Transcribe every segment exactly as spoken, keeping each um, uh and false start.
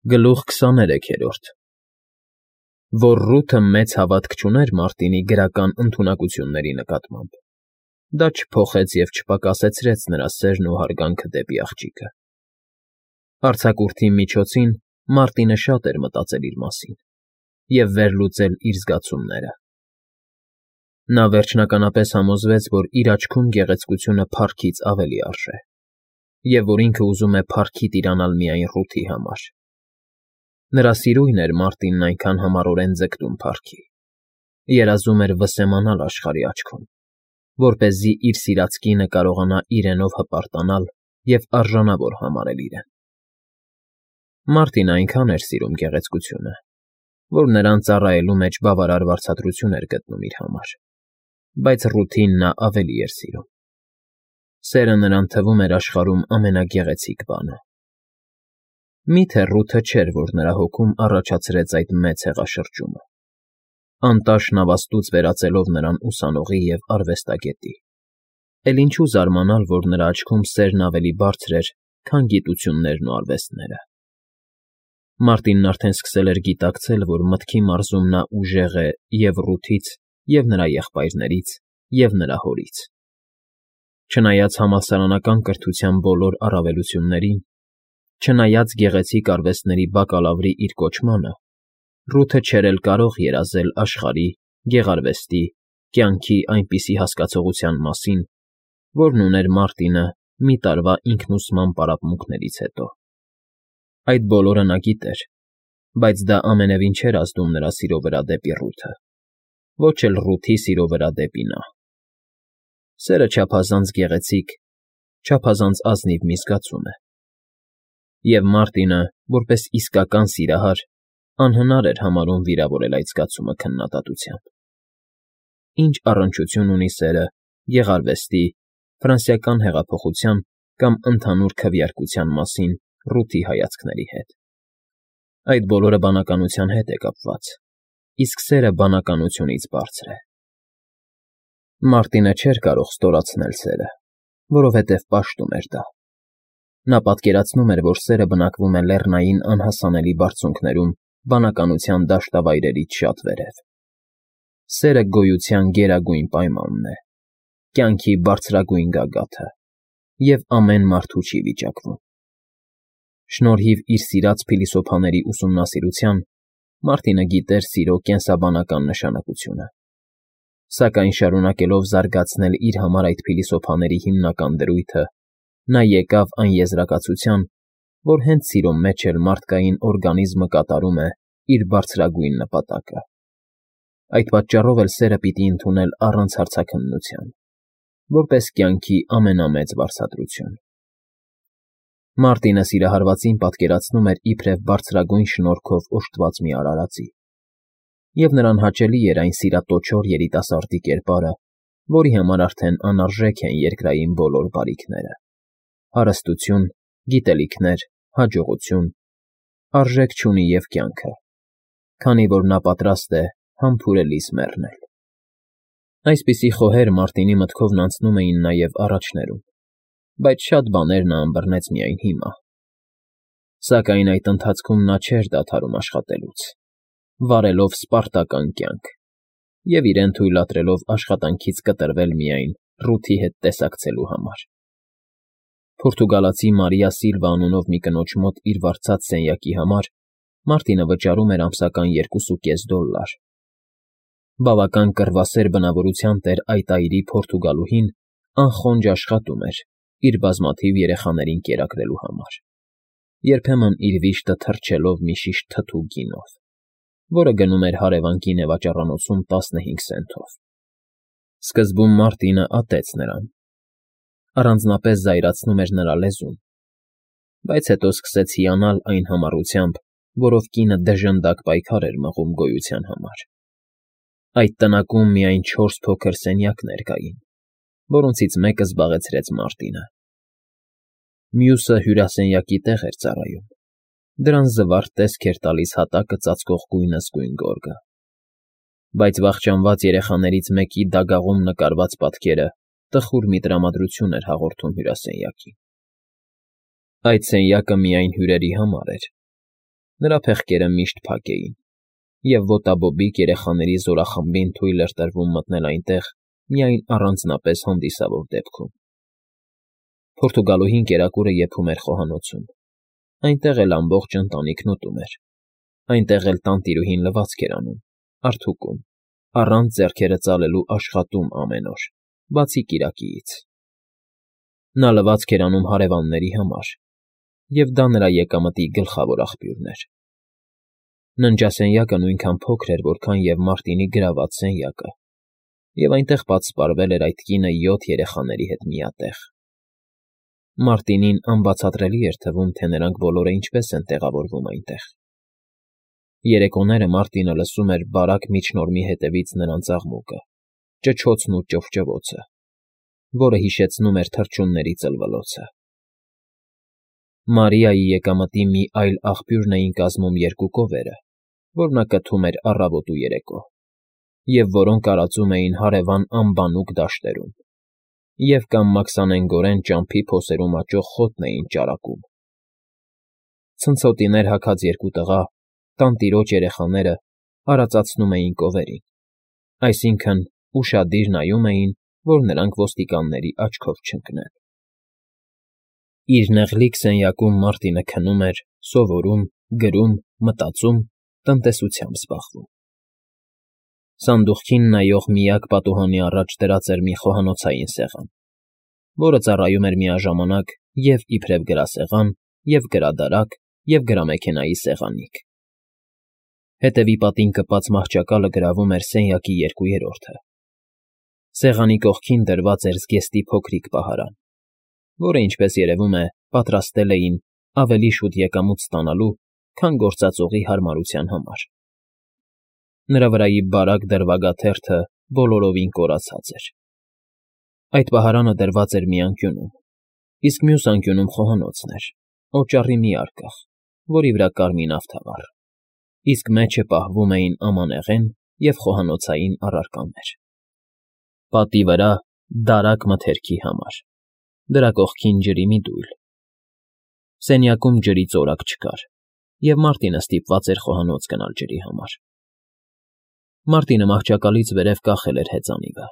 Գլուխ քսաներեքերորդ Որ Ռութը մեծ հավատք չուներ Մարտինի գրական ընդունակությունների նկատմամբ, դա չփոխեց և չպակասեցրեց նրա սերն ու հարգանքը դեպի աղջիկը։ Արձակուրդի միջոցին Մարտինը շատ էր մտածել իր մասին և վերլուծել իր զգացումները։ Նա վերջնականապես համոզվեց, որ իր աչքում գեղեցկությունը փառքից ավելի արժե, և որ ինքը ուզում է փառքի տիրանալ միայն Ռութի համար։ Նրա սիրույն էր Մարտինն այնքան համառորեն ձգտում փառքի, երազում էր վսեմանալ աշխարհի աչքում, որպեսզի իր սիրած կինը կարողանա իրենով հպարտանալ և արժանավոր համարել իրեն։ Մարտինը այնքան էր սիրում գեղեցկությունը, որ նրան ծառայելու մեջ բավարար վարձատրություն էր գտնում իր համար, բայց Ռութին նա ավելի էր սիրում։ Սերը նրան թվում էր աշխարհում ամենագեղեցիկ բանը։ Մի՞թե Ռութը չէր, որ նրա հոգում առաջացրեց այդ մեծ հեղաշրջումը, անտաշ նավաստուց վերածելով նրան ուսանողի և արվեստագետի, էլ ինչու զարմանալ, որ նրա աչքում սերն ավելի բարձր էր, քան գիտություններն ու արվեստները։ Մարտինն արդեն սկսել էր գիտակցել, որ մտքի մարզում նա ուժեղ է և Ռութից, և նրա եղբայրներից, և նրա հորից։ Չնայած համալսարանական կրթության բոլոր առավելություններին, չնայած գեղեցիկ արվեստների բակալավրի իր կոչմանը, Ռութը չէր էլ կարող երազել աշխարհի, գեղարվեստի, կյանքի այնպիսի հասկացողության մասին, որն ուներ Մարտինը մի տարվա ինքնուսման պարապմունքներից հետո։ Այդ բոլորը նա գիտեր, բայց դա ամենևին չէր ազդում նրա սիրո վրա դեպի Ռութը, ոչ էլ Ռութի սիրո վրա դեպի նա։ Սերը չափազանց գեղեցիկ, չափազանց ազնիվ մի զգացում է, և Մարտինը, որպես իսկական սիրահար, անհնար էր համարում վիրավորել այդ զգացումը քննադատությամբ։ Ինչ առնչություն ունի սերը գեղարվեստի, ֆրանսիական հեղափոխության կամ ընդհանուր քվեարկության մասին Ռութի հայացքների հետ։ Այդ բոլորը բանականության հետ է կապված, իսկ սերը բանականությունից բարձր է։ Մարտինը չէր կարող ստորացնել սերը, որովհետև պաշտում էր դա։ Նա պատկերացնում էր, որ սերը բնակվում է լեռնային անհասանելի բարձունքներում բանականության դաշտավայրերից շատ վերև։ Սերը գոյության գերագույն պայմանն է, կյանքի բարձրագույն գագաթը, և ամեն մարդու չի վիճակվում։ Շնորհիվ իր սիրած փիլիսոփաների ուսումնասիրության Մարտինը գիտեր սիրո կենսաբանական նշանակությունը, սակայն շարունակելով զարգացնել իր համար այդ փիլիսոփաների հիմնական դրույթը, նա եկավ այն եզրակացության, որ հենց սիրո մեջ էլ մարդկային օրգանիզմը կատարում է իր բարձրագույն նպատակը։ Այդ պատճառով էլ սերը պիտի ընդունել առանց հարցաքննության, որպես կյանքի ամենամեծ վարձատրություն։ Մարտինը սիրահարվածին պատկերացնում էր իբրև բարձրագույն շնորհքով օժտված մի արարածի, և նրան հաճելի էր այն սիրատոչոր երիտասարդի կերպարը, որի համար արդեն անարժեք են երկրային բոլոր բարիքները՝ հարստություն, գիտելիքներ, հաջողություն, արժեք չունի և կյանքը, քանի որ նա պատրաստ է համբուրելիս մեռնել։ Այսպիսի խոհեր Մարտինի մտքովն անցնում էին նաև առաջներում, բայց շատ բաներ նա ըմբռնեց միայն հիմա։ Սակայն այդ ընթացքում նա չէր դադարում աշխատելուց, վարելով սպարտական կյանք և իրեն թույլատրելով աշխատանքից կտրվել միայն Ռութի հետ տեսակցելու համար։ Պորտուգալացի Մարիա Սիլվա անունով մի կնոջ մոտ իր վարձած սենյակի համար Մարտինը վճարում էր ամսական երկուսուկես դոլլար։ Բավական կռվասեր բնավորության տեր այդ այրի պորտուգալուհին անխոնջ աշխատում էր իր բազմաթիվ երեխաներին կերակրելու համար, երբեմն իր վիշտը թռչելով մի շիշ թթու գինով, որը գնում էր հարևան գինեվաճառանոցում տասնհինգ սենթով։ Սկզբում Մարտինը ատեց նրան, առանձնապես զայրացնում էր նրա լեզուն, բայց հետո սկսեց հիանալ այն համառությամբ, որով կինը դժնդակ պայքար էր մղում գոյության համար։ Այդ տնակում միայն չորս փոքր սենյակներ կային, որոնցից մեկը զբաղեցրեց Մարտինը։ Մյուսը հյուրասենյակի տեղ էր ծառայում, դրան զվարթ տեսք էր տալիս հատակը ծածկող գույնզգույն գորգը, բայց վախճանված երեխաներից մեկի դագաղում նկարված պատկերը տխուր մի տրամադրություն էր հաղորդում հյուրասենյակին։ Այդ սենյակը միայն հյուրերի համար էր։ Նրա փեղկերը միշտ փակ էին, և ոտաբոբիկ երեխաների զորախմբին թույլ էր տրվում մտնել այնտեղ միայն առանձնապես հանդիսավոր դեպքում։ Պորտուգալուհին կերակուրը եփում էր խոհանոցում, այնտեղ էլ ամբողջ ընտանիքն ուտում էր, այնտեղ էլ տանտիրուհին լվացք էր անում, արդուկում, առանց ձեռքերը ծալելու աշխատում ամեն օր, բացի կիրակիից։ Նա լվացք էր անում հարևանների համար, և դա նրա եկամտի գլխավոր աղբյուրն էր։ Ննջասենյակը նույնքան փոքր էր, որքան և Մարտինի գրաված սենյակը, և այնտեղ պատսպարվել էր այդ կինը յոթ երեխաների հետ միատեղ։ Մարտինին անբացատրելի էր թվում, թե նրանք բոլորը ինչպես են տեղավորվում այնտեղ։ Երեկոները Մարտինը լսում էր բարակ միջնորմի հետևից նրանց աղմուկը, ճչոցն ու ճվճվոցը, որը հիշեցնում էր թռչունների ծլվլոցը։ Մարիայի եկամտի մի այլ աղբյուրն էին կազմում երկու կովերը, որ նա կթում էր առավոտ ու երեկո, և որոնք արածում էին հարևան անբանուկ դաշտերում, և կամ մաքսանենգորեն ճամփի փոսերում աճող խոտն էին ճարակում։ Ցնցոտիներ հագած երկու տղա, տանտիրոջ երեխաները, արածացնում էին կովերին, այսինքն՝ ուշադիր նայում էին, որ նրանք ոստիկանների աչքով չընկնեն։ Իր նեղլիկ սենյակում Մարտինը քնում էր, սովորում, գրում, մտածում, տնտեսությամբ զբաղվում։ Սանդուղքին նայող միակ պատուհանի առաջ դրած էր մի խոհանոցային սեղան, որը ծառայում էր միաժամանակ և՛ իբրև գրասեղան, և՛ գրադարակ, և գրամեքենայի սեղանիկ։ Հետևի պատին կպած մահճակալը գրավում էր սենյակի երկու երրորդը։ Սեղանի կողքին դրված էր զգեստի փոքրիկ պահարան, որը, ինչպես երևում է, պատրաստել էին ավելի շուտ եկամուտ ստանալու, քան գործածողի հարմարության համար։ Նրա վրայի բարակ դրվագաթերթը բոլորովին կորացած էր։ Այդ պահարանը դրված էր մի անկյունում, իսկ մյուս անկյունում խոհանոցն էր, օճառի մի արկղ, որի վրա կար մի նավթավառ, իսկ մեջը պահվում էին ամանեղեն և խոհանոցային առարկաներ։ Պատի վրա դարակ մթերքի համար, դրա կողքին ջրի մի դույլ։ Սենյակում ջրի ծորակ չկար, և Մարտինը ստիպված էր խոհանոց գնալ ջրի համար։ Մարտինը մահճակալից վերև կախել էր հեծանիվը։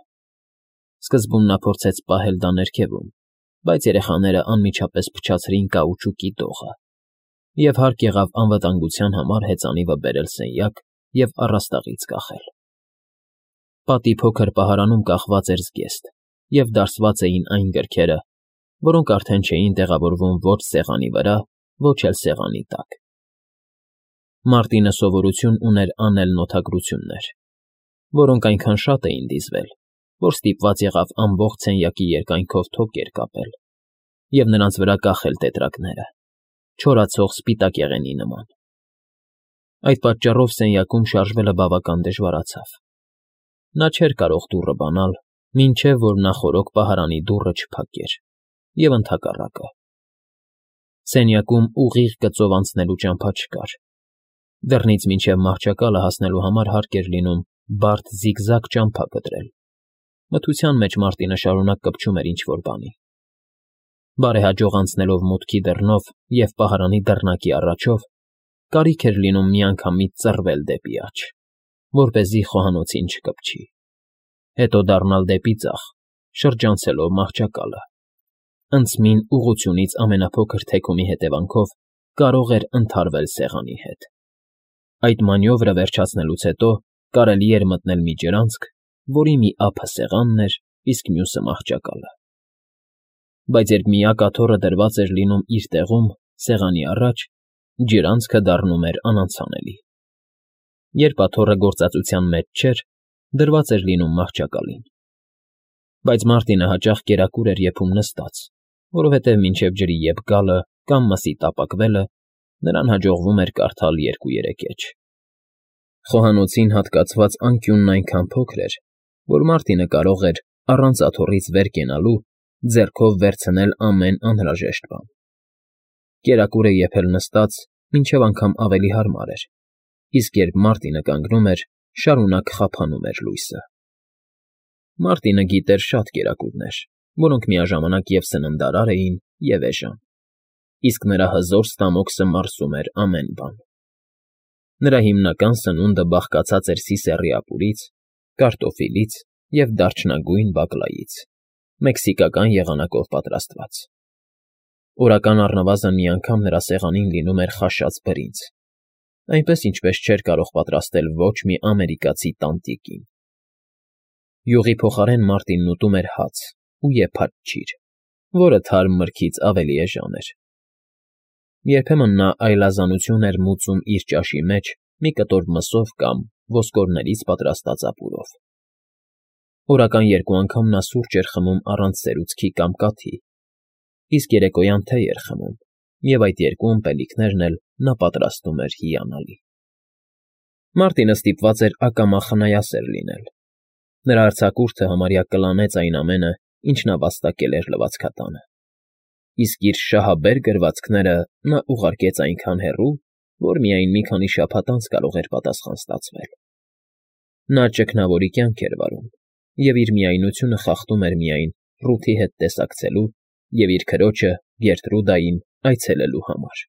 Սկզբում նա փորձեց պահել դա ներքևում, բայց երեխաները անմիջապես փչացրին կաուչուկի դողը, և հարկ եղավ անվտանգության համար հեծանիվը բերել սենյակ և առաստաղից կախել։ Պատի փոքր պահարանում կախված էր զգեստ, և դարսված էին այն գրքերը, որոնք արդեն չէին տեղավորվում ոչ սեղանի վրա, ոչ էլ սեղանի տակ։ Մարտինը սովորություն ուներ անել նոթագրություններ, որոնք այնքան շատ էին դիզվել, որ ստիպված եղավ ամբողջ սենյակի երկայնքով թոկեր կապել և նրանց վրա կախել տետրակները, չորացող սպիտակեղենի նման։ Այդ պատճառով սենյակում շարժվելը բավական դժվարացավ։ Նա չէր կարող դուռը բանալ, մինչև որ նախօրոք պահարանի դուռը չփակեր, և ընդհակառակը։ Սենյակում ուղիղ գծով անցնելու ճամփա չկար։ Դռնից մինչև մահճակալը հասնելու համար հարկ էր լինում բարդ զիգզագ ճամփա կտրել։ Մթության մեջ Մարտինը շարունակ կպչում էր ինչ֊որ բանի։ Բարեհաջող անցնելով մուտքի դռնով և պահարանի դռնակի առաջով, կարիք էր լինում միանգամից ծռվել դեպի աջ, որպեսզի խոհանոցին չկպչի, հետո դառնալ դեպի ձախ, շրջանցելով մահճակալը։ Անցմին ուղղությունից ամենափոքր թեքումի հետևանքով կարող էր ընդհարվել սեղանի հետ։ Այդ մանյովրը վերջացնելուց հետո կարելի էր մտնել մի ջրանցք, որի մի ափը սեղանն էր, իսկ մյուսը մահճակալը։ Բայց երբ միակ աթոռը դրված էր լինում իր տեղում, սեղանի առաջ, ջրանցքը դառնում էր անանցանելի։ Երբ աթոռը գործածության մեջ չէր, դրված էր լինում մահճակալին։ Բայց Մարտինը հաճախ կերակուր էր եփում նստած, որովհետև մինչև ջրի ետ գալը կամ մսի տապակվելը նրան հաջողվում էր կարդալ երկու֊երեք էջ։ Խոհանոցին հատկացված անկյունն այնքան փոքր էր, որ Մարտինը կարող էր, առանց աթոռից վեր կենալու, ձեռքով վերցնել ամեն անհրաժեշտ բան։ Կերակուրը եփել նստած մինչև անգամ ավելի հարմար էր, իսկ երբ Մարտինը կանգնում էր, շարունակ խափանում էր լույսը։ Մարտինը գիտեր շատ կերակուրներ, որոնք միաժամանակ և սննդարար էին, և էժան, իսկ նրա հզոր ստամոքսը մարսում էր ամեն բան։ Նրա հիմնական սնունդը բաղկացած էր սիսեռի ապուրից, կարտոֆիլից և դարչնագույն բակլայից, մեքսիկական եղանակով պատրաստված։ Օրական առնվազն մի անգամ նրա սեղանին լինում էր խաշած բրինձ, այնպես, ինչպես չէր կարող պատրաստել ոչ մի ամերիկացի տանտիկին։ Յուղի փոխարեն Մարտինն ուտում էր հաց ու եփած չիր, որը թարմ մրգից ավելի էժան էր։ Երբեմն նա այլազանություն էր մուծում իր ճաշի մեջ մի կտոր մսով կամ ոսկորներից պատրաստած ապուրով։ Օրական երկու անգամ նա սուրճ էր խմում առանց սերուցքի կամ կաթի, իսկ երեկոյան թեյ էր խմում, և այդ երկու ըմպելիքներն էլ նա պատրաստում էր հիանալի։ Մարտինը ստիպված էր ակամա խնայասեր լինել։ Նրա արձակուրդը համարյա կլանեց այն ամենը, ինչ նա վաստակել էր լվացքատանը, իսկ իր շահաբեր գրվածքները նա ուղարկեց այնքան հեռու, որ միայն մի քանի շաբաթ անց կարող էր պատասխան ստացվել։ Նա ճգնավորի կյանք էր վարում և իր միայնությունը խախտում էր միայն Ռութի հետ տեսակցելու և իր քրոջը՝ Գերտրուդային այցելելու համար։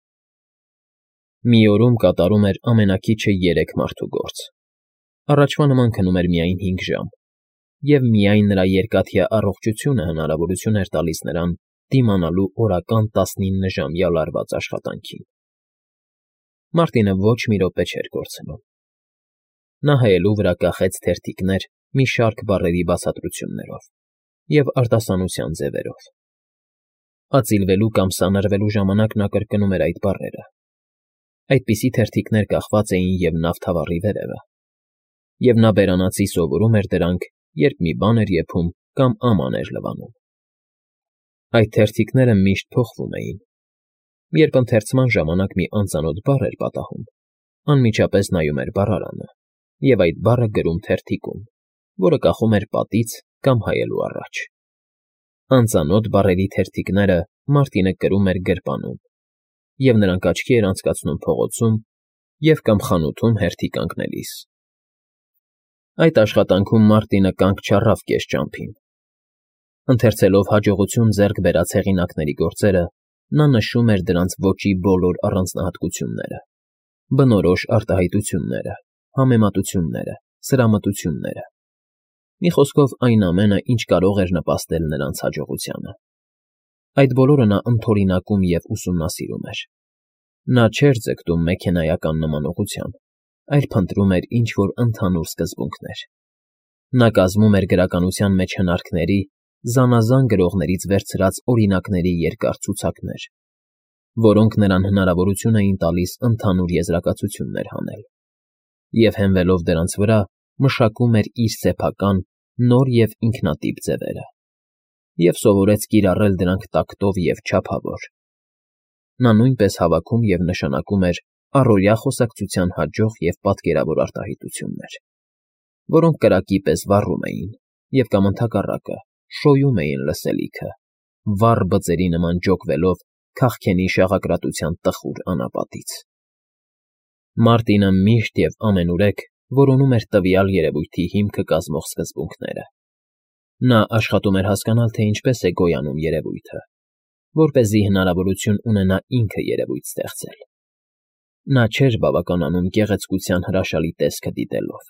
Մի օրում կատարում էր ամենաքիչը երեք մարդու գործ, առաջվա նման քնում էր միայն հինգ ժամ, և միայն նրա երկաթյա առողջությունը հնարավորություն էր տալիս նրան դիմանալու օրական տասնիննժամյա լարված աշխատանքին։ Մարտինը ոչ մի րոպե չէր կորցնում։ Նա հայելու վրա կախեց թերթիկներ մի շարք բառերի բացատրություններով և արտասանության ձևերով։ Ածիլվելու կամ սանրվելու ժամանակ նա կրկնում էր այդ բառերը։ Այդպիսի թերթիկներ կախված էին և նավթավառի վերևը, և նա բերանացի սովորում էր դրանք, երբ մի բան էր եփում կամ աման էր լվանում։ Այդ թերթիկները միշտ փոխվում էին։ Երբ ընթերցման ժամանակ մի անծանոթ բառ էր պատահում, անմիջապես նայում էր բառարանը և այդ բառը գրում թերթիկում, որը կախում էր պատից կամ հայելու առաջ։ Անծանոթ բառերի թերթիկները Մարտինը կրում էր գրպանում, և նրանք աչքի էր անցկացնում փողոցում և կամ խանութում հերթի կանգնելիս։ Այդ աշխատանքում Մարտինը կանգ չառավ կես ճամփին։ Ընթերցելով հաջողություն ձեռք բերած հեղինակների գործերը, նա նշում էր դրանց ոճի բոլոր առանձնահատկությունները, բնորոշ արտահայտությունները, համեմատությունները, սրամտությունները։ Մի խոսքով, այն ամենը, ինչ կարող էր նպաստել նրանց հաջողությանը։ Այդ բոլորը նա ընդօրինակում և ուսումնասիրում էր։ Նա չէր ձգտում մեքենայական նմանողության, այլ փնտրում էր ինչ֊որ ընդհանուր սկզբունքներ։ Նա կազմում էր գրականության մեջ հնարքների, զանազան գրողներից վերցրած օրինակների երկար ցուցակներ, որոնք նրան հնարավորություն էին տալիս ընդհանուր եզրակացություններ հանել, և հենվելով դրանց վրա մշակում էր իր սեփական, նոր և ինքնատիպ ձևերը, և սովորեց կիրառել դրանք տակտով և չափավոր։ Նա նույնպես հավաքում և նշանակում էր առօրյա խոսակցության հաջող և պատկերավոր արտահայտություններ, որոնք կրակի պես վառում էին և կամ ընդհակառակը շոյում էին լսելիքը, վառ բծերի նման ջոկվելով քաղքենի շաղակրատության տխուր անապատից։ Մարտինը միշտ և ամենուրեք որոնում էր տվյալ երևույթի հիմքը կազմող սկզբունքները։ Նա աշխատում էր հասկանալ, թե ինչպես է գոյանում երևույթը, որպեսզի հնարավորություն ունենա ինքը երևույթ ստեղծել։ Նա չէր բավականանում գեղեցկության հրաշալի տեսքը դիտելով,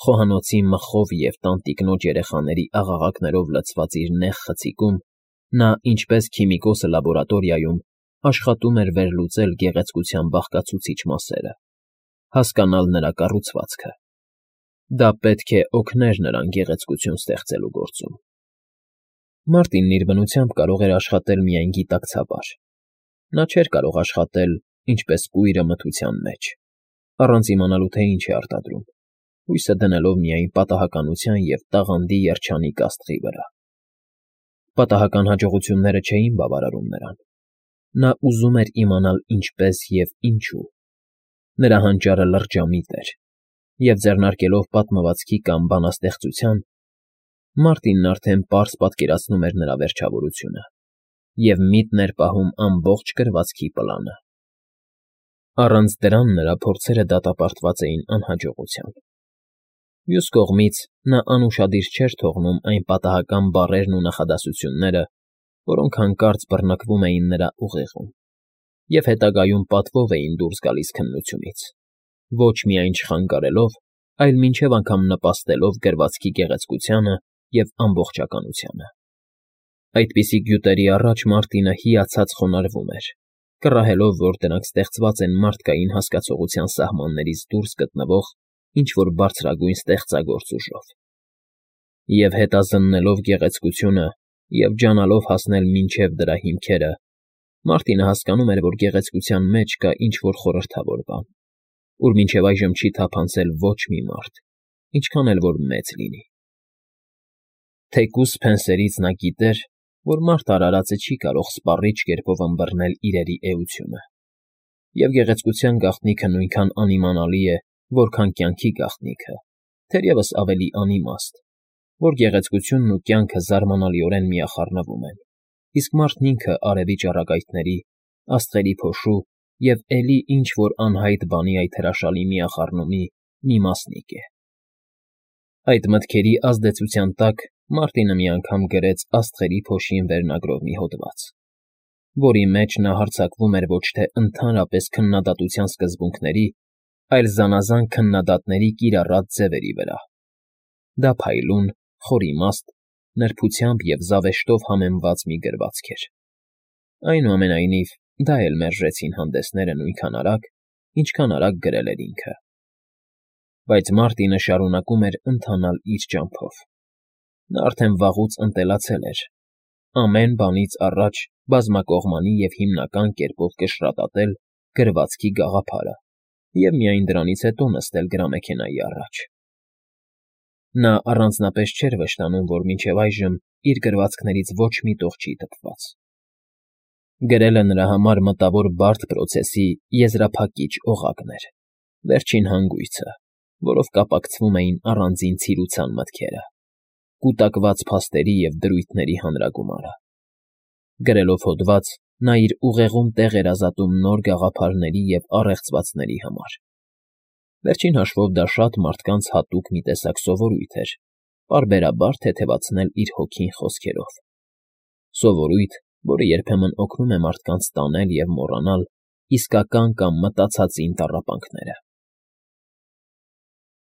խոհանոցի մխով և տանտիկնոջ երեխաների աղաղակներով լցված իր նեղ խցիկում նա, ինչպես քիմիկոսը լաբորատորիայում, աշխատում էր վերլուծել գեղեցկության բաղկացուցիչ մասերը, հասկանալ նրա կառուցվածքը։ Դա պետք է օգներ նրան գեղեցկություն ստեղծելու գործում։ Մարտինն իր բնությամբ կարող էր աշխատել միայն գիտակցաբար։ Նա չէր կարող աշխատել, ինչպես կույրը մթության մեջ, առանց իմանալու, թե ինչ է արտադրում, հույսը դնելով միայն պատահականության և տաղանդի երջանիկ աստղի վրա։ Պատահական հաջողությունները չէին բավարարում նրան։ Նա ուզում էր իմանալ ինչպես և ինչու։ Նրա հանճարը լրջամիտ էր, և ձեռնարկելով պատմվածքի կամ բանաստեղծության, Մարտինն արդեն պարզ պատկերացնում էր նրա վերջավորությունը և միտն էր պահում ամբողջ գրվածքի պլանը։ Առանց դրան նրա փորձերը դատապարտված էին անհաջողության։ Մյուս կողմից, նա անուշադիր չէր թողնում այն պատահական բառերն ու նախադասությունները, որոնք հանկարծ բռնկվում էին նրա ուղեղում և հետագայում պատվով էին դուրս գալիս քննությունից, Ոչ միայն չխանգարելով, այլ մինչև անգամ նպաստելով գրվածքի գեղեցկությանը և ամբողջականությանը։ Այդպիսի գյուտերի առաջ Մարտինը հիացած խոնարհվում էր, կռահելով, որ դրանք ստեղծված են մարդկային հասկացողության սահմաններից դուրս գտնվող ինչ֊որ բարձրագույն ստեղծագործ ուժով։ Եվ հետազննելով գեղեցկությունը և ջանալով հասնել մինչև դրա հիմքերը, Մարտինը հասկանում էր, որ գեղեցկության մեջ կա ինչ֊որ խորհրդավոր բան, ուր մինչև այժմ չի թափանցել ոչ մի մարդ, ինչքան էլ որ մեծ լինի։ Թեկուզ սփենսերից նա գիտեր, որ մարդ արարածը չի կարող սպառիչ կերպով ըմբռնել իրերի էությունը, և գեղեցկության գաղտնիքը նույնքան անիմանալի է, որքան կյանքի գաղտնիքը, թերևս ավելի անիմաստ, որ գեղեցկությունն ու կյանքը զարմանալիորեն միախառնվում են, իսկ մարդն ինքը արևի ճառագայթների, աստղերի փոշու և էլի ինչ֊որ անհայտ բանի այդ հրաշալի միախառնումի մի մասնիկ է։ Այդ մտքերի ազդեցության տակ Մարտինը մի անգամ գրեց «Աստղերի փոշին» վերնագրով մի հոդված, որի մեջ նա հարձակվում էր ոչ թե ընդհանրապես քննադատության սկզբունքների, այլ զանազան քննադատների կիրառած ձևերի վրա։ Դա փայլուն, խորիմաստ, նրբությամբ և զավեշտով համեմված մի գրվածք էր։ Այնուամենայնիվ, դա էլ մերժեցին հանդեսները նույնքան արագ, ինչքան արագ գրել էր ինքը։ Բայց Մարտինը շարունակում էր ընթանալ իր ճամփով։ Նա արդեն վաղուց ընտելացել էր, ամեն բանից առաջ բազմակողմանի և հիմնական կերպով կշռատատել գրվածքի գաղափարը և միայն դրանից հետո նստել գրամեքենայի առաջ։ Նա առանձնապես չէր վշտանում, որ մինչև այժմ իր գրվածքներից ոչ մի տող չի թփված։ Գրելը նրա համար մտավոր բարդ պրոցեսի եզրափակիչ օղակն էր, վերջին հանգույցը, որով կապակցվում էին առանձին ցիրուցան մտքերը, կուտակված փաստերի և դրույթների հանրագումարը։ Գրելով հոդված՝ նա իր ուղեղում տեղ էր ազատում նոր գաղափարների և առեղծվածների համար։ Վերջին հաշվով դա շատ մարդկանց հատուկ մի տեսակ սովորույթ էր՝ պարբերաբար թեթևացնել իր հոգին խոսքերով։ Սովորույթ, որը երբեմն օգնում է մարդկանց տանել և մոռանալ իսկական կամ մտածածին տառապանքները։